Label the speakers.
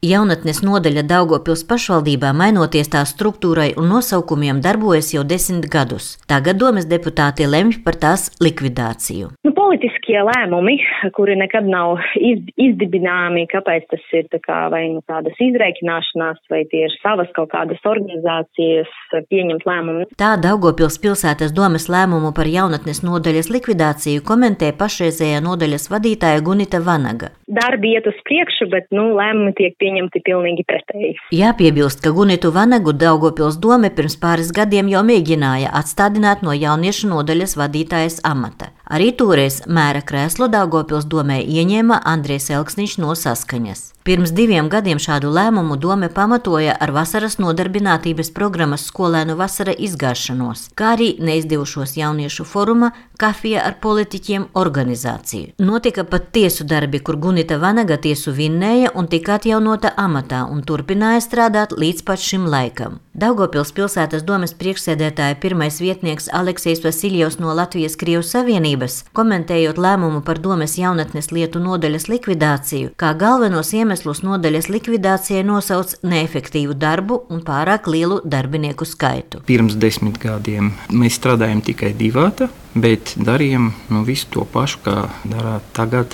Speaker 1: Jaunatnes nodaļa Daugavpils pašvaldībā, mainoties tās struktūrai un nosaukumiem, darbojas jau 10 gadus. Tagad domes deputāti lemj par tās likvidāciju.
Speaker 2: Politiskie lēmumi, kuri nekad nav izdibināmi, kāpēc tas ir vai tādas izreikināšanās, vai tie ir savas kaut kādas organizācijas pieņemt lēmumu.
Speaker 1: Tā Daugavpils pilsētas domes lēmumu par jaunatnes nodaļas likvidāciju komentē pašreizējā nodaļas vadītāja Gunita Vanaga.
Speaker 2: Darbi iet uz priekšu, bet lēmumi tiek pieņemti pilnīgi pretēji.
Speaker 1: Jāpiebilst, ka Gunitu Vanagu Daugavpils dome pirms pāris gadiem jau mēģināja atstādināt no jauniešu nodaļas vadītājas amata. Arī toreiz mēra krēslu Daugavpils domē ieņēma Andrejs Elksniņš no Saskaņas. Pirms 2 gadiem šādu lēmumu dome pamatoja ar vasaras nodarbinātības programmas Skolēnu vasara izgāšanos, kā arī neizdevušos jauniešu foruma Kafija ar politiķiem organizāciju. Notika pat tiesu darbi, kur Gunita Vanaga tiesu vinnēja un tika atjaunota amatā un turpināja strādāt līdz pat šim laikam. Daugavpils pilsētas domes priekšsēdētāja pirmais vietnieks Aleksejs Vasiljevs no Latvijas-Krievijas Savienības, komentējot lēmumu par domes jaunatnes lietu nodaļas likvidāciju, kā galvenos iemeslus nodaļas likvidācijai nosauc neefektīvu darbu un pārāk lielu darbinieku skaitu.
Speaker 3: Pirms 10 gadiem mēs strādājam tikai divāta, bet darījam visu to pašu, kā darāt tagad.